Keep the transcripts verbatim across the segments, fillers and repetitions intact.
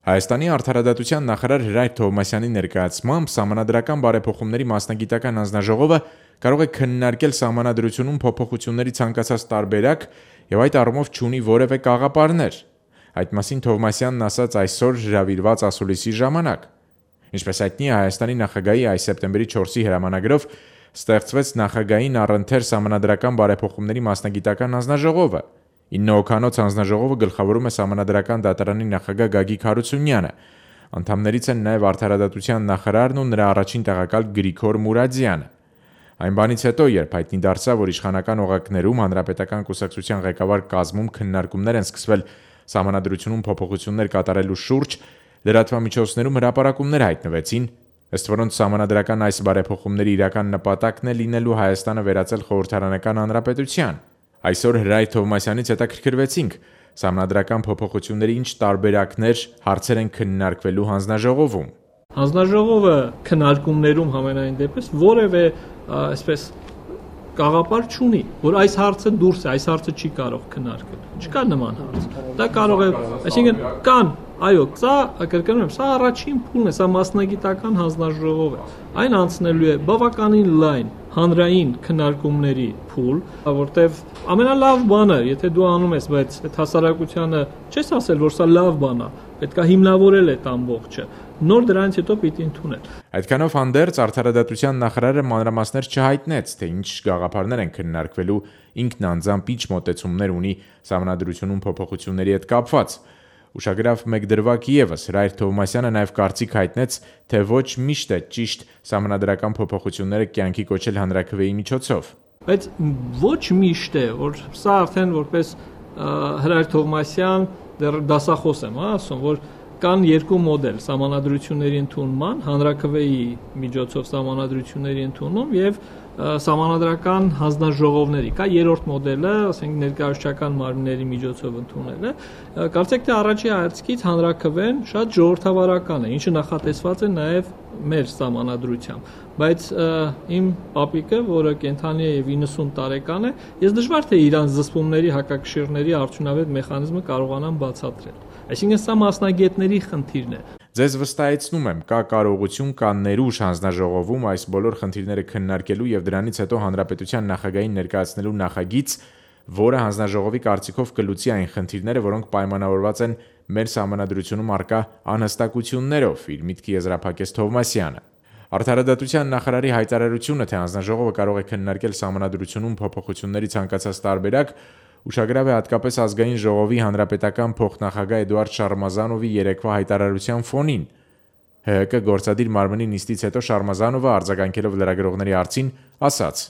Հայաստանի արդարադատության նախարար Հրայր Թովմասյանի ներկայացմամբ սահմանադրական բարեփոխումների մասնագիտական հանձնաժողովը կարող է քննարկել սահմանադրությունում փոփոխությունների ցանկացած տարբերակ եւ այդ առումով չունի որևէ կաղապարներ։ Այդ մասին Թովմասյանն ասաց այսօր հրավիրված ասուլիսի ժամանակ։ Ինչպես հայտնի է, Հայաստանի նախագահի այս սեպտեմբերի չորսի հրամանագրով ստեղծվեց նախագահային առընթեր սահմանադրական բարեփոխումների մասնագիտական հանձնաժողովը։ ինը հոգանոց հանձնաժողովը գլխավորում է Սահմանադրական դատարանի նախագահ Գագիկ Հարությունյանը։ Անդամներից են նաև արդարադատության նախարարն ու նրա առաջին տեղակալ Գրիգոր Մուրադյանը։ Այն բանից հետո, երբ հայտնի դարձավ, որ իշխանական օղակներում Հանրապետական կուսակցության ղեկավար կազմում քննարկումներ են սկսվել սահմանադրությունում փոփոխություններ կատարելու շուրջ, լրատվամիջոցներում հրապարակումներ հայտնվեցին, ըստ որոնց սահմանադրական այս բարեփոխումների իրական նպատակն է լինելու Հայաստանը վերածել խորհրդարանական հանրապետության։ Այսօր Հրայր Թովմասյանից հետաքրքրվեցինք սահմանադրական փոփոխությունների ինչ տարբերակներ, հարցեր են քննարկվելու հանձնաժողովում։ Հանձնաժողովը քննարկումներում համենայն դեպս որևէ այսպես կաղապար չունի, որ այս հարցը դուրս է, այս հարցը չի կարող քննարկել։ Չկա նման հարց։ Դա կարող է, այսինքն կան, այո, սա կրկնում եմ, սա առաջին փուլն է, սա մասնագիտական հանձնաժողով է։ Այն անցնելու է բավականին լայն հանրային քննարկումների փուլ, որտեվ ամենալավ բանը, եթե դու անում ես, բայց այդ հասարակությանը չես ասել, որ սա լավ բան է, պետք է հիմնավորել այդ ամբողջը, նոր դրանից հետո պիտի ընդունել։ Այդքանով հանդերձ արդարադատության նախարարը մանրամասներ չհայտնեց, թե ինչ գաղափարներ են քննարկվելու, ինքն անձամբ ինչ մոտեցումներ ունի սահմանադրությունում փոփոխությունների հետ կապված։ Ուշագրավ մեկ դրվագ ևս Հրայր Թովմասյանը նաև կարծիք հայտնեց, թե ոչ միշտ է ճիշտ սահմանադրական փոփոխությունները կյանքի կոչել հանրաքվեի միջոցով։ Բայց ոչ միշտ է, որ սա արդեն որպես Հրայր Թովմասյան դեռ դասախոս եմ, ասում, որ կան երկու մոդել սահմանադրությունների ընդունման, հանրաքվեի միջոցով սահմանադրությունների ընդունում եւ սահմանադրական հանձնաժողովների։ Կա երրորդ մոդելը, ասենք ներկայացուցչական մարմինների միջոցով ընդունելը։ Կարծեք թե առաջի հայացքից հանրաքվեն շատ ժողովրդավարական է, ինչը նախատեսված է նաեւ մեր սահմանադրությամբ, բայց իմ պապիկը, որը կենթանի է եւ իննսուն տարեկան է, ես դժվար թե իրան զսպումների հակակշիռների արդյունավետ մեխանիզմը կարողանամ բացատրել։ Այսինքն սա մասնագետների խնդիրն է։ Ձեզ վստահեցնում եմ, կա կարողություն, կա ներուժ հանձնաժողովում այս բոլոր խնդիրները քննարկելու եւ դրանից հետո հանրապետության նախագահին ներկայացնելու նախագիծ, որը հանձնաժողովի կարծիքով կլուծի այն խնդիրները, որոնք պայմանավորված են մեր սահմանադրությունում առկա անհստակություններով, իր միտքը եզրափակեց Թովմասյանը։ Արդարադատության նախարարի հայտարարությունը, թե հանձնաժողովը կարող է քննարկել սահմանադրությունում փոփոխությունների ցանկացած տարբերակ, ուշագրավ է հատկապես ազգային ժողովի հանրապետական փոխնախագահ Էդուարդ Շարմազանովի երեկվա հայտարարության ֆոնին։ ՀՀԿ գործադիր մարմնի նիստից հետո Շարմազանովը արձագանքելով լրագրողների հարցին ասաց.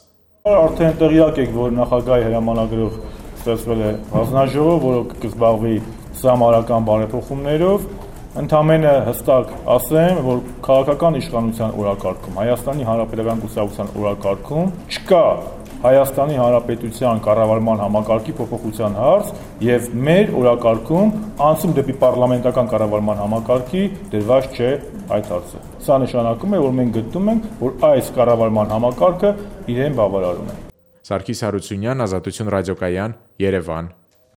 Արդեն տեղյակ եք, որ նախագահի հրամանագրով ստեղծվել է հանձնաժողով, որը կզբաղվի սահմանադրական բարեփոխումներով։ Ընդամենը հստակ ասեմ, որ քաղաքական իշխանության օրակարգում, Հայաստանի Հանրապետական կուսակցության օրակարգում չկա Հայաստանի Հանրապետության կառավարման համակարգի փոփոխության հարց եւ մեր օրակարգում անցում դեպի պարլամենտական կառավարման համակարգի դրված չէ այդ հարցը։ Սա նշանակում է, որ մենք գտնում ենք, որ այս կառավարման համակարգը իրեն բավարարում է։ Սարգիս Հարությունյան, Ազատություն ռադիոկայան, Երևան։